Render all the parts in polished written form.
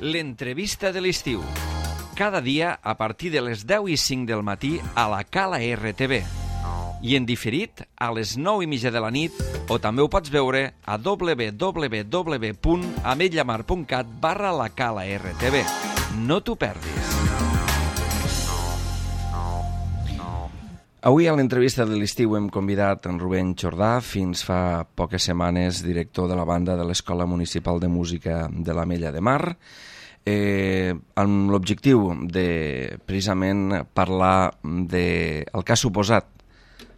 L'entrevista de l'estiu. Cada dia a partir de les 10:05 del matí a la Cala RTV. I en diferit a les 9:30 de la nit, o també ho pots veure a www.ametlllamar.cat/la Cala RTV. No t'ho perdis. Avui a l'entrevista de l'estiu hem convidat en Rubén Jordà, fins fa poques setmanes director de la banda de l'Escola Municipal de Música de l'Ametlla de Mar, amb l'objectiu de precisament parlar del que ha suposat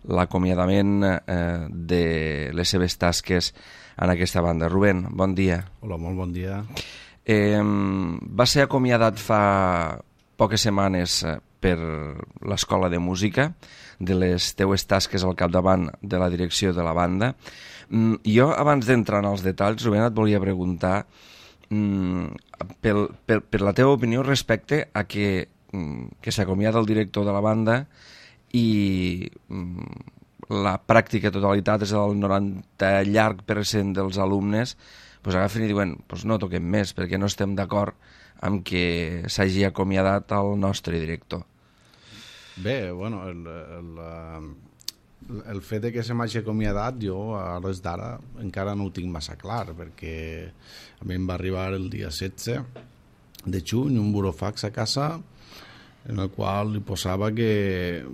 l'acomiadament de les seves tasques en aquesta banda. Rubén, bon dia. Hola, molt bon dia. Va ser acomiadat fa poques setmanes per l'Escola de Música, de les teues tasques al capdavant de la direcció de la banda. Jo, abans d'entrar en els detalls, Rubén, et volia preguntar per la teva opinió respecte a que s'acomiada el director de la banda i la pràctica totalitat és el 90% llarg dels alumnes agafen i diuen no toquem més perquè no estem d'acord amb que s'hagi acomiadat el nostre director. Bé, bueno, el fet de que se m'hagi acomiadat jo a l'hores d'ara encara no ho tinc massa clar, perquè a mi em va arribar el dia 16 de juny un burofax a casa en el qual li posava que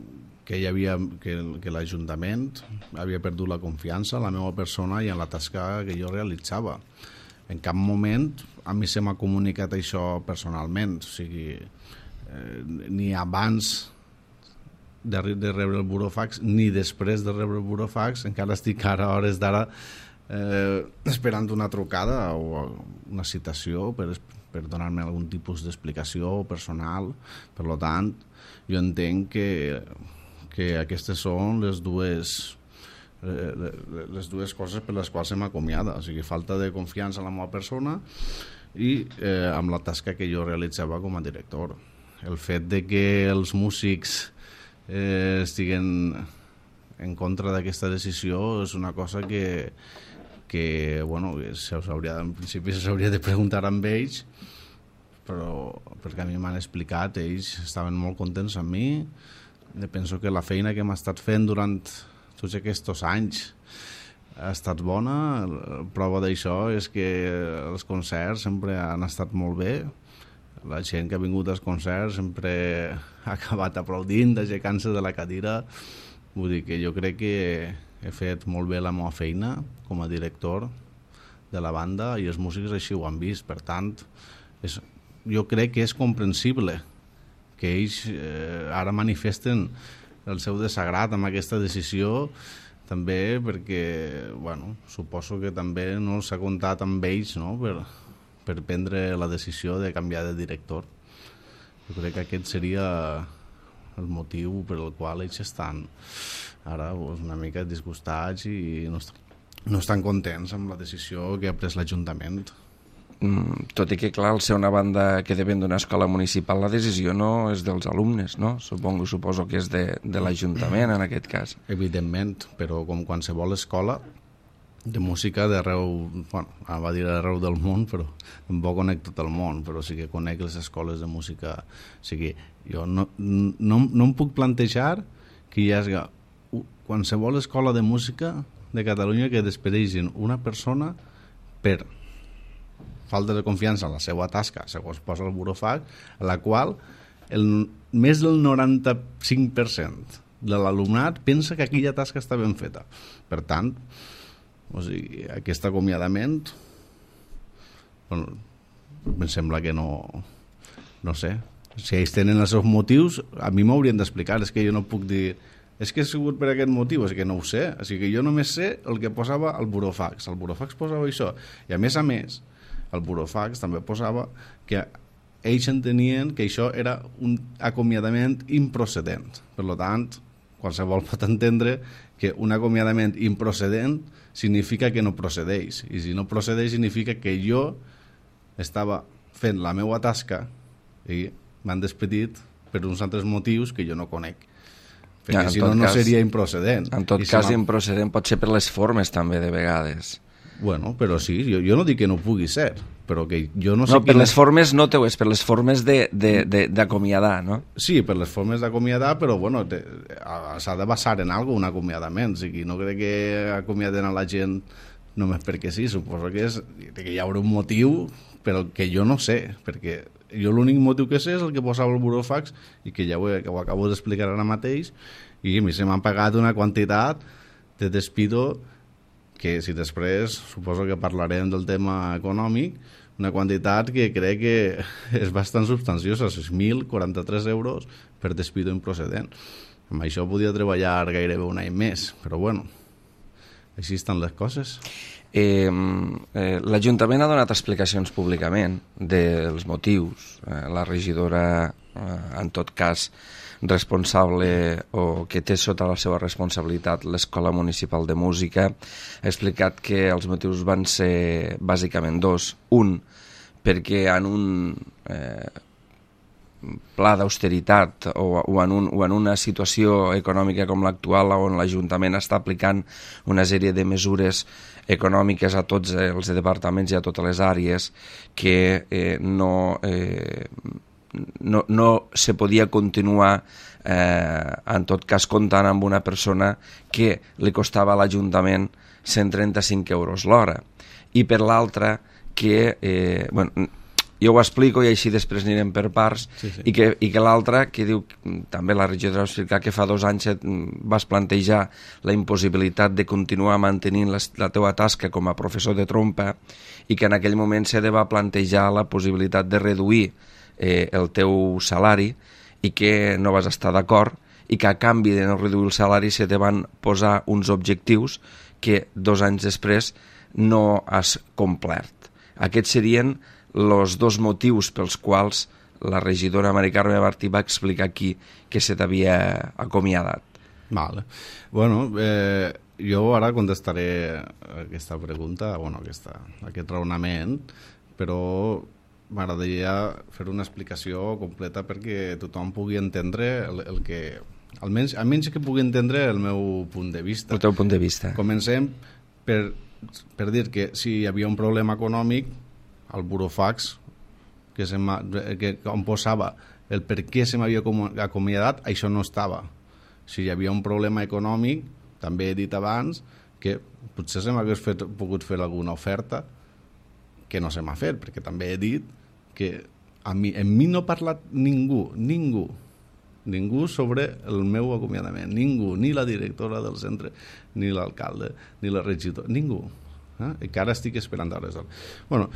l'Ajuntament havia perdut la confiança en la meva persona i en la tasca que jo realitzava. En cap moment a mi se m'ha comunicat això personalment, o sigui, ni abans de rebre el burofax ni després de rebre el burofax. Encara estic ara a hores d'ara esperant una trucada o una citació per donar-me algun tipus d'explicació personal. Per tant, jo entenc que aquestes són les dues coses per les quals se m'acomiada, o sigui, falta de confiança en la meva persona i amb la tasca que jo realitzava com a director. El fet de que els músics estiguen en contra d'aquesta decisió és una cosa que en principi s'hauria de preguntar amb ells, però perquè a mi m'han explicat, ells estaven molt contents amb mi. Penso que la feina que hem estat fent durant tots aquests anys ha estat bona. La prova d'això és que els concerts sempre han estat molt bé. La gent que ha vingut als concerts sempre ha acabat aplaudint, aixecant-se de la cadira. Vull dir que jo crec que he fet molt bé la meva feina com a director de la banda i els músics així ho han vist. Per tant, jo crec que és comprensible que ells ara manifesten el seu desagrat amb aquesta decisió, també perquè, suposo que també no s'ha comptat amb ells, no?, per prendre la decisió de canviar de director. Jo crec que aquest seria el motiu per el qual ells estan ara una mica disgustats i no estan contents amb la decisió que ha pres l'Ajuntament. Tot i que, clar, al ser una banda que depèn d'una escola municipal, la decisió no és dels alumnes, no? Suposo que és de l'Ajuntament, en aquest cas. Evidentment, però com qualsevol escola de música d'arreu, va dir arreu del món, però tampoc conec tot el món, però sí que conec les escoles de música. O sigui, jo no em puc plantejar que hi hagi qualsevol escola de música de Catalunya que despedeixin una persona per falta de confiança en la seva tasca, segons posa el burofax, a la qual més del 95% de l'alumnat pensa que aquella tasca està ben feta. Per tant, aquest acomiadament em sembla que no sé, si ells tenen els seus motius a mi m'haurien d'explicar, és que jo no puc dir és que ha sigut per aquest motiu, és que no ho sé, o sigui que jo només sé el que posava el burofax posava això, i a més el burofax també posava que ells entenien que això era un acomiadament improcedent. Per tant, qualsevol pot entendre que un acomiadament improcedent significa que no procedeix, i si no procedeix significa que jo estava fent la meva tasca i m'han despedit per uns altres motius que jo no conec, perquè si no seria improcedent. En tot cas, improcedent pot ser per les formes també de vegades. Bueno, però sí, jo no dic que no pugui ser, però que jo no sé... No, per les formes no teu, és per les formes d'acomiadar, no? Sí, per les formes d'acomiadar, però bueno, s'ha de basar en alguna un acomiadament, o sigui, no crec que acomiaden a la gent només perquè sí, suposo que hi haurà un motiu, però que jo no sé, perquè jo l'únic motiu que sé és el que posava el burofax i que ja ho acabo d'explicar ara mateix, i a mi se m'han pagat una quantitat de despido que si després suposo que parlarem del tema econòmic, una quantitat que crec que és bastant substanciosa, 6.043 euros per despido improcedent. Amb això podia treballar gairebé un any més, però bueno, així estan les coses. L'Ajuntament ha donat explicacions públicament dels motius. La regidora, en tot cas, responsable o que té sota la seva responsabilitat l'Escola Municipal de Música, ha explicat que els motius van ser bàsicament dos. Un, perquè en un pla d'austeritat o en una situació econòmica com l'actual on l'Ajuntament està aplicant una sèrie de mesures econòmiques a tots els departaments i a totes les àrees que no se podia continuar en tot cas comptant amb una persona que li costava a l'Ajuntament 135 euros l'hora, i per l'altra que jo ho explico i així després anirem per parts, sí. I que l'altra, que diu, també la regidora va explicar que fa 2 anys vas plantejar la impossibilitat de continuar mantenint la teua tasca com a professor de trompa i que en aquell moment se va plantejar la possibilitat de reduir el teu salari i que no vas estar d'acord i que a canvi de no reduir el salari se te van posar uns objectius que 2 anys després no has complert. Aquests serien els 2 motius pels quals la regidora Mari Carme Martí va explicar aquí que se t'havia acomiadat. Vale. Bueno, jo ara contestaré aquesta pregunta, aquest raonament, però m'agradaria fer una explicació completa perquè tothom pugui entendre el que... Almenys que pugui entendre el meu punt de vista. El teu punt de vista. Comencem per dir que si hi havia un problema econòmic, el burofax on posava el per què se m'havia acomiadat, això no estava. Si hi havia un problema econòmic, també he dit abans que potser se m'hagués pogut fer alguna oferta que no se m'ha fet, perquè també he dit que en mi no ha parlat ningú sobre el meu acomiadament, ningú, ni la directora del centre, ni l'alcalde, ni la regidora, ningú. Que ara estic esperant a resoldre. Bueno,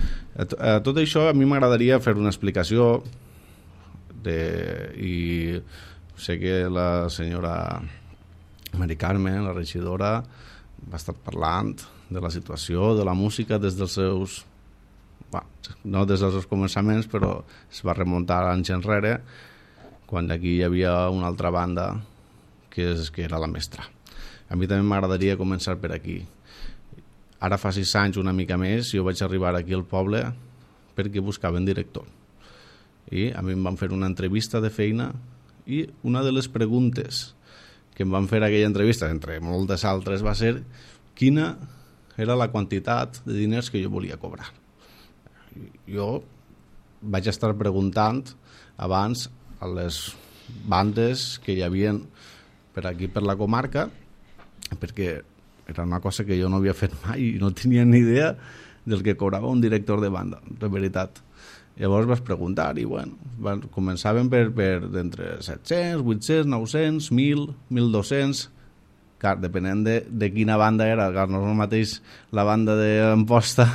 tot això a mi m'agradaria fer una explicació i sé que la senyora Mari Carme, la regidora, va estar parlant de la situació de la música des dels seus no des dels seus començaments, però es va remuntar anys enrere quan aquí hi havia una altra banda que era la Mestra. A mi també m'agradaria començar per aquí. Ara fa 6 anys, una mica més, jo vaig arribar aquí al poble perquè buscaven director. I a mi em van fer una entrevista de feina i una de les preguntes que em van fer aquella entrevista, entre moltes altres, va ser quina era la quantitat de diners que jo volia cobrar. Jo vaig estar preguntant abans a les bandes que hi havia per aquí, per la comarca, perquè era una cosa que jo no havia fet mai i no tenia ni idea del que cobrava un director de banda, de veritat. Llavors vas preguntar i començaven per d'entre 700, 800, 900, 1.000, 1.200, clar, depenent de quina banda era, clar, no és el mateix la banda d'Amposta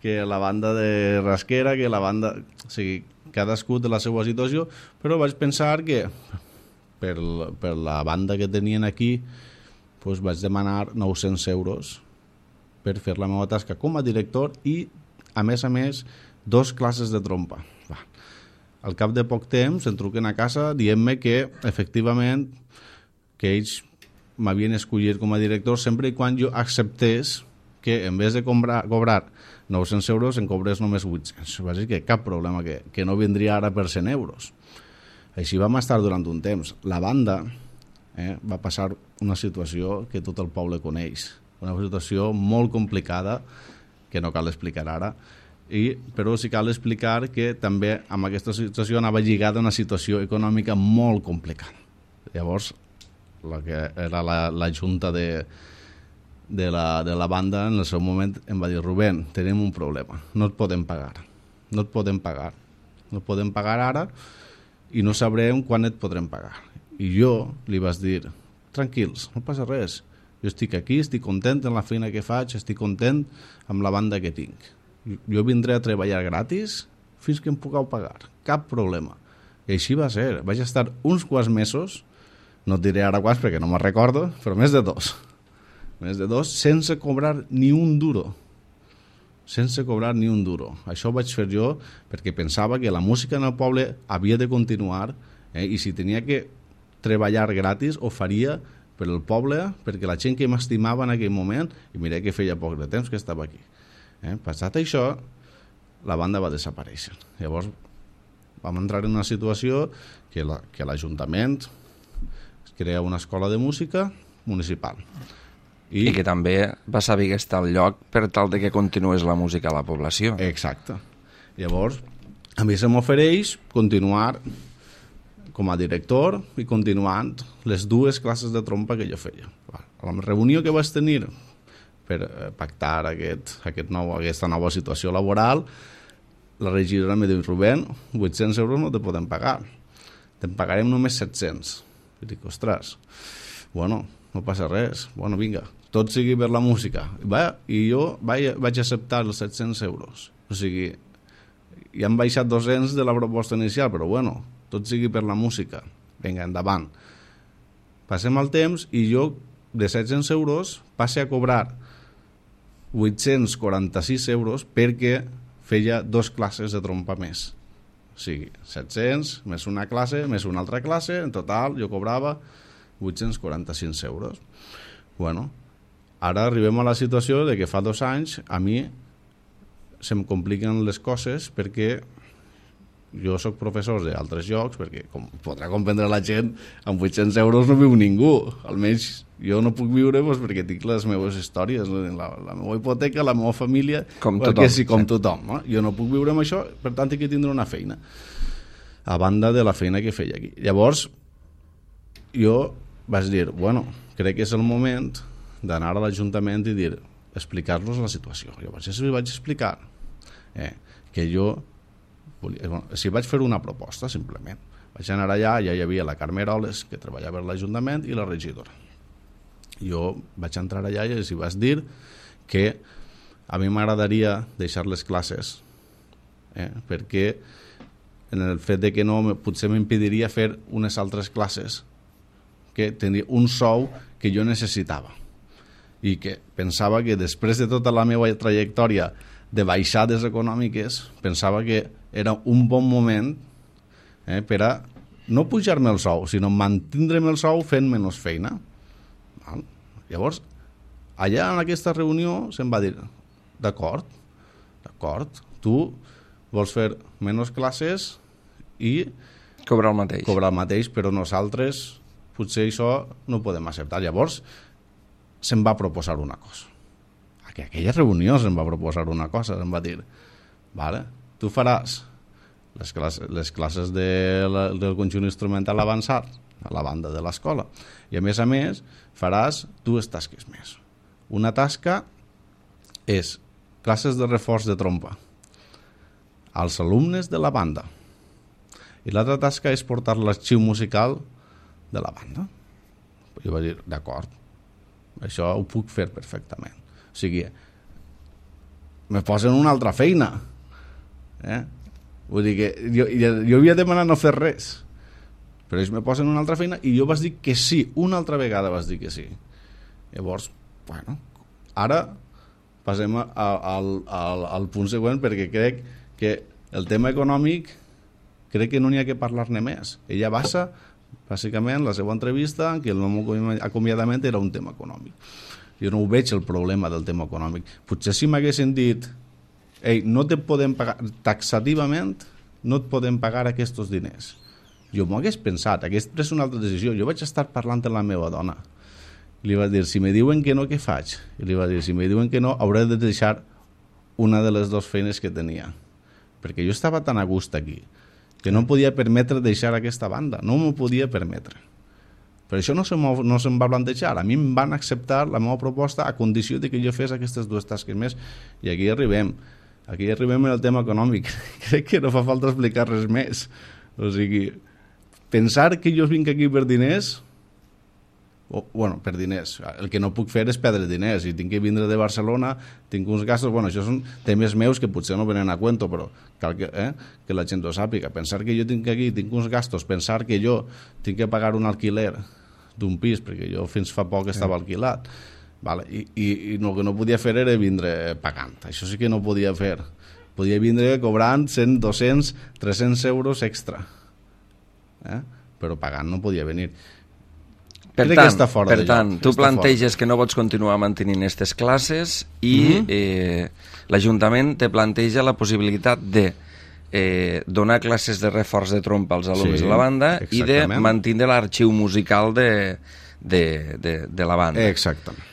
que la banda de Rasquera, que la banda... O sigui, cadascú té la seva situació, però vaig pensar que per la banda que tenien aquí doncs vaig demanar 900 euros per fer la meva tasca com a director i, a més, 2 classes de trompa. Al cap de poc temps em truquen a casa dient-me que, efectivament, que ells m'havien escollit com a director sempre i quan jo acceptés que, en vez de cobrar 900 euros, em cobrés només 800. Va dir que cap problema, que no vindria ara per 100 euros. Així vam estar durant un temps. La banda va passar una situació que tot el poble coneix, una situació molt complicada que no cal explicar ara, però sí cal explicar que també amb aquesta situació anava lligada a una situació econòmica molt complicada. Llavors, la que era la junta de la banda en el seu moment em va dir: Rubén, tenim un problema, no et podem pagar ara i no sabrem quan et podrem pagar. I jo li vaig dir: tranquils, no passa res, jo estic aquí, estic content en la feina que faig, estic content amb la banda que tinc, jo vindré a treballar gratis fins que em pugueu pagar, cap problema. I així va ser, vaig estar uns quants mesos, no et diré ara quants perquè no me'n recordo, però més de dos, sense cobrar ni un duro. Això ho vaig fer jo perquè pensava que la música en el poble havia de continuar, i si tenia que treballar gratis ho faria per al poble, perquè la gent que m'estimava en aquell moment, i mira que feia poc de temps que estava aquí. Passat això, la banda va desaparèixer. Llavors vam entrar en una situació que l'Ajuntament crea una escola de música municipal. I que també va saber que està al lloc per tal de que continués la música a la població. Exacte. Llavors, a mi se m'ofereix continuar com a director i continuant les dues classes de trompa que jo feia. A la reunió que vaig tenir per pactar aquesta nova situació laboral, la regidora em diu: Rubén, 800 euros no te podem pagar, te'n pagarem només 700. I dic: ostres, bueno, no passa res, bueno, vinga, tot sigui per la música. I jo vaig acceptar els 700 euros. O sigui, ja han baixat 200 de la proposta inicial, però bueno, tot sigui per la música. Vinga, endavant. Passem el temps i jo, de 700 euros, passe a cobrar 846 euros perquè feia 2 classes de trompa més. O sigui, 700 més una classe, més una altra classe, en total jo cobrava 845 euros. Bueno, ara arribem a la situació de que fa 2 anys a mi se'm compliquen les coses perquè jo soc professor d'altres llocs, perquè com podrà comprendre la gent, amb 800 euros no viu ningú. Almenys jo no puc viure perquè tinc les meves històries, la meva hipoteca, la meva família, com tothom. No? Jo no puc viure amb això, per tant he de tindre una feina, a banda de la feina que feia aquí. Llavors, jo vaig dir, bueno, crec que és el moment d'anar a l'Ajuntament i dir, explicar-los la situació. Llavors li vaig explicar que jo si vaig fer una proposta, simplement. Vaig anar allà, ja hi havia la Carme Eroles, que treballava a l'Ajuntament, i la regidora. Jo vaig entrar allà i els vaig dir que a mi m'agradaria deixar les classes, perquè en el fet de que no, potser m'impediria fer unes altres classes que tenia un sou que jo necessitava i que pensava que després de tota la meva trajectòria de baixades econòmiques, pensava que era un bon moment per a no pujar-me el sou, sinó mantindre'm el sou fent menys feina. Llavors, allà en aquesta reunió se'm va dir, d'acord, tu vols fer menys classes i cobrar el mateix, però nosaltres potser això no ho podem acceptar. Llavors se'm va proposar una cosa. A aquella reunió se'm va proposar una cosa, se'm va dir, vale, tu faràs les classes del conjunt instrumental avançat a la banda de l'escola i a més faràs 2 tasques més. Una tasca és classes de reforç de trompa als alumnes de la banda i l'altra tasca és portar l'arxiu musical de la banda. Jo vaig dir, d'acord, això ho puc fer perfectament. O sigui, me posen una altra feina. Vull dir que jo havia demanat no fer res, però ells me posen una altra feina i jo vaig dir que sí, una altra vegada vaig dir que sí. Llavors, bueno, ara passem al punt següent, perquè crec que el tema econòmic crec que no n'hi ha que parlar-ne més. Ella basa bàsicament la seva entrevista que el meu acomiadament era un tema econòmic. Jo no ho veig el problema del tema econòmic. Potser si m'haguessin dit no te podem pagar taxativament, no et podem pagar aquests diners, jo m'ho hagués pensat, hagués pres una altra decisió. Jo vaig estar parlant amb la meva dona, li va dir, si me diuen que no, què faig? I li va dir, si me diuen que no, hauré de deixar una de les dues feines que tenia. Perquè jo estava tan a gust aquí que no podia permetre deixar aquesta banda. No m'ho podia permetre. Per això no se'm va plantejar. A mi em van acceptar la meva proposta a condició de que jo fes aquestes dues tasques més. I aquí arribem. Aquí arribem en el tema econòmic. Crec que no fa falta explicar res més. O sigui, pensar que jo vinc aquí per diners... bueno, per diners. El que no puc fer és perdre diners. Si tinc que vindre de Barcelona, tinc uns gastos... Bueno, això són temes meus que potser no venen a cuento, però cal que la gent ho sàpiga. Pensar que jo tinc uns gastos, pensar que jo tinc que pagar un alquiler d'un pis, perquè jo fins fa poc estava alquilat, vale? I el que no podia fer era vindre pagant. Això sí que no podia fer. Podia vindre cobrant 100, 200, 300 euros extra. Però pagant no podia venir. Per tant, tu planteges que no pots continuar mantenint aquestes classes i l'Ajuntament te planteja la possibilitat de donar classes de reforç de trompa als alumnes de la banda i de mantenir l'arxiu musical de la banda. Exactament.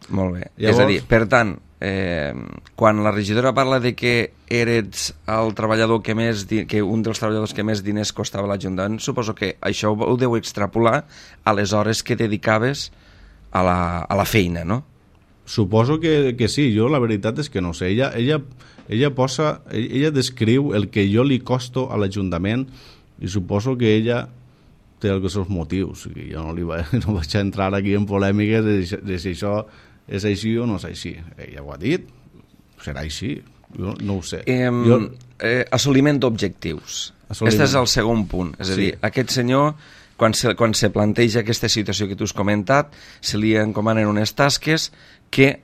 Molt bé. Llavors... És a dir, per tant, quan la regidora parla de que eres el treballador que un dels treballadors que més diners costava l'Ajuntament, suposo que això ho deu extrapolar a les hores que dedicaves a la feina, no? Suposo que sí. Jo la veritat és que no sé. Ella descriu el que jo li costo a l'Ajuntament i suposo que ella té els seus motius. Jo no vaig entrar aquí en polèmiques de si això és així o no és així. Ella ho ha dit, serà així, jo no ho sé. Assoliment d'objectius. Aquest és el segon punt. És a dir, aquest senyor, quan se planteja aquesta situació que tu has comentat, se li encomanen unes tasques que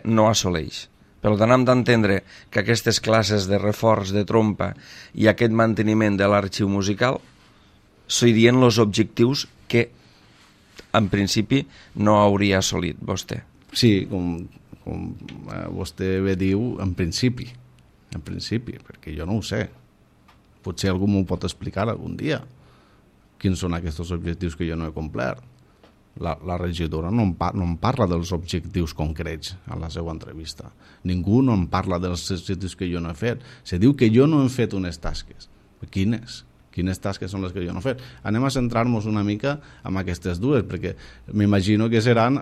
no assoleix. Per tant, hem d'entendre que aquestes classes de reforç de trompa i aquest manteniment de l'arxiu musical serien els objectius que en principi no hauria assolit vostè. Sí, com vostè bé diu, en principi, perquè jo no ho sé. Potser algú m'ho pot explicar algun dia. Quins són aquests objectius que jo no he complert? La regidora no em parla dels objectius concrets a la seva entrevista. Ningú no em parla dels objectius que jo no he fet. Se diu que jo no he fet unes tasques. Quines? Quines tasques són les que jo no he fet? Anem a centrar-nos una mica en aquestes dues, perquè m'imagino que seran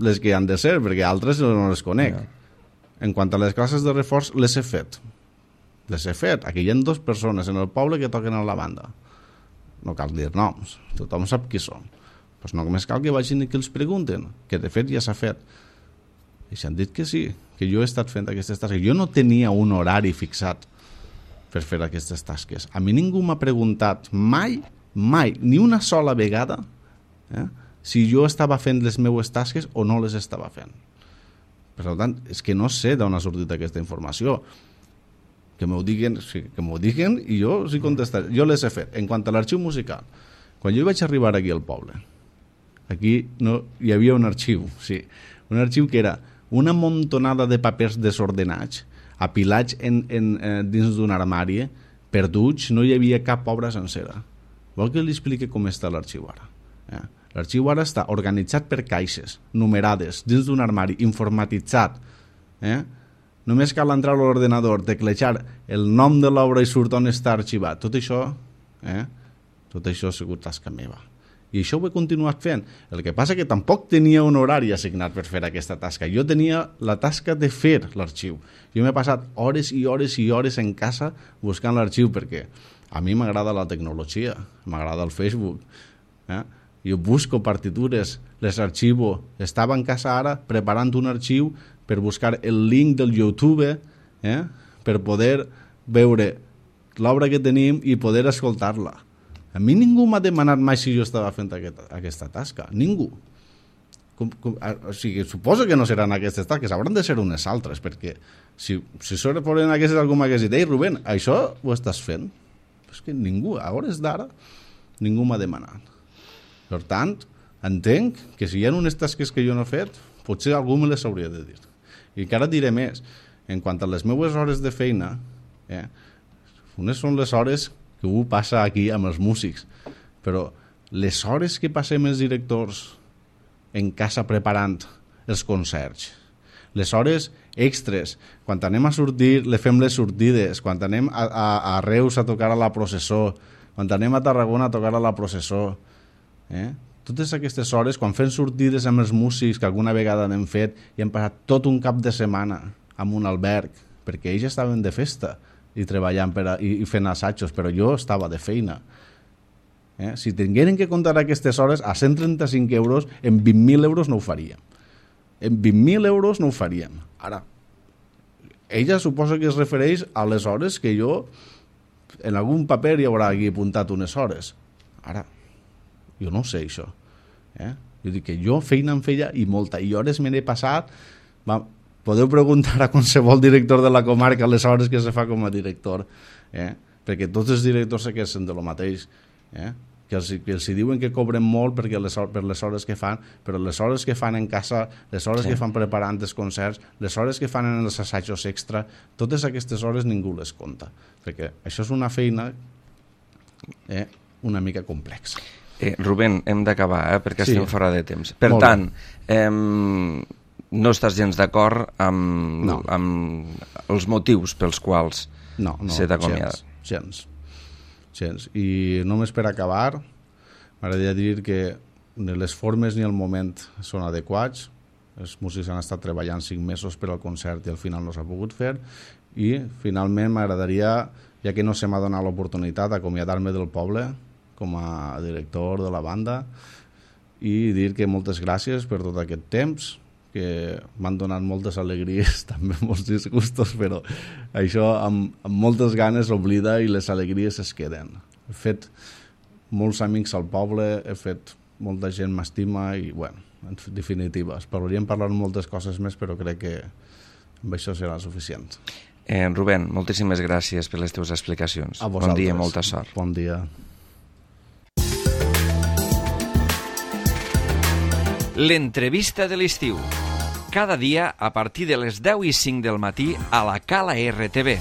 les que han de ser, perquè altres no les conec. En quant a les classes de reforç, les he fet. Aquí hi ha 2 persones en el poble que toquen a la banda. No cal dir noms, tothom sap qui són. Pues no només cal que vagin i que els pregunten, que de fet ja s'ha fet. I s'han dit que sí, que jo he estat fent aquestes tasques. Jo no tenia un horari fixat per fer aquestes tasques. A mi ningú m'ha preguntat mai, ni una sola vegada, si jo estava fent les meues tasques o no les estava fent. Per tant, és que no sé d'on ha sortit aquesta informació. Que m'ho diguin i jo sí contestaré. Jo les he fet. En quant a l'arxiu musical, quan jo vaig arribar aquí al poble, aquí hi havia un arxiu, sí, un arxiu que era una montonada de papers desordenats, apilats dins d'un armari, perduts, no hi havia cap obra sencera. Vol que li expliqui com està l'arxiu ara? L'arxiu ara està organitzat per caixes, numerades, dins d'un armari, informatitzat. Només cal entrar a l'ordenador, teclejar el nom de l'obra i surt on està arxivat. Tot això ha sigut tasca meva. I això ho he continuat fent. El que passa que tampoc tenia un horari assignat per fer aquesta tasca. Jo tenia la tasca de fer l'arxiu. Jo m'he passat hores i hores i hores en casa buscant l'arxiu perquè a mi m'agrada la tecnologia, m'agrada el Facebook. Jo busco partitures, les arxivo. Estava en casa ara preparant un arxiu per buscar el link del YouTube per poder veure l'obra que tenim i poder escoltar-la. A mi ningú m'ha demanat mai si jo estava fent aquesta tasca. Ningú. O sigui, suposo que no seran aquestes tasques, hauran de ser unes altres, perquè si foren aquestes algú m'hagués dit, ei Rubén, això ho estàs fent? És que ningú, a hores d'ara, ningú m'ha demanat. Per tant, entenc que si hi ha unes tasques que jo no he fet, potser algú me les hauria de dir. I encara diré més, en quant a les meves hores de feina, unes són les hores que ho passa aquí amb els músics, però les hores que passem els directors en casa preparant els concerts, les hores extres. Quan anem a sortir, le fem les sortides. Quan anem a Reus a tocar a la processó. Quan anem a Tarragona a tocar a la processó. Totes aquestes hores, quan fem sortides amb els músics, que alguna vegada n'hem fet, i hem passat tot un cap de setmana en un alberg, perquè ells estaven de festa i treballant i fent assajos, però jo estava de feina. Si tingueren que comptar aquestes hores, a 135 euros, en 20.000 euros no ho faríem. En 20.000 euros no ho faríem. Ara, ella suposa que es refereix a les hores que jo, en algun paper hi haurà aquí apuntat unes hores. Ara, jo no sé això. Jo dic que jo feina en feia i molta, i hores me n'he passat. Podeu preguntar a qualsevol director de la comarca les hores que se fa com a director, perquè tots els directors se queixen de lo mateix, que els diuen que cobren molt per les hores que fan, però les hores que fan en casa, les hores que fan preparant els concerts, les hores que fan en els assajos extra, totes aquestes hores ningú les compta, perquè això és una feina una mica complexa. Rubén, hem d'acabar, perquè estem fora de temps. Per tant, no estàs gens d'acord amb els motius pels quals se t'ha acomiadat? Gens. I només per acabar, m'agradaria dir que ni les formes ni el moment són adequats. Els músics han estat treballant 5 mesos per al concert i al final no s'ha pogut fer. I finalment m'agradaria, ja que no se m'ha donat l'oportunitat, acomiadar-me del poble com a director de la banda i dir que moltes gràcies per tot aquest temps, que m'han donat moltes alegries, també molts disgustos, però això amb moltes ganes oblida i les alegries es queden. He fet molts amics al poble, he fet molta gent m'estima i, bueno, en definitiva, podríem parlar moltes coses més, però crec que amb això serà suficient. Rubén, moltíssimes gràcies per les teves explicacions. A vosaltres. Bon dia i molta sort. Bon dia. L'entrevista de l'estiu. Cada dia a partir de les 10:05 del matí a la Cala RTV.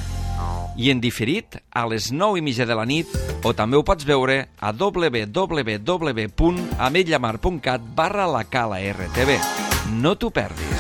I en diferit a les 9:30 de la nit, o també ho pots veure a www.ametlllamar.cat/la Cala RTV. No t'ho perdis.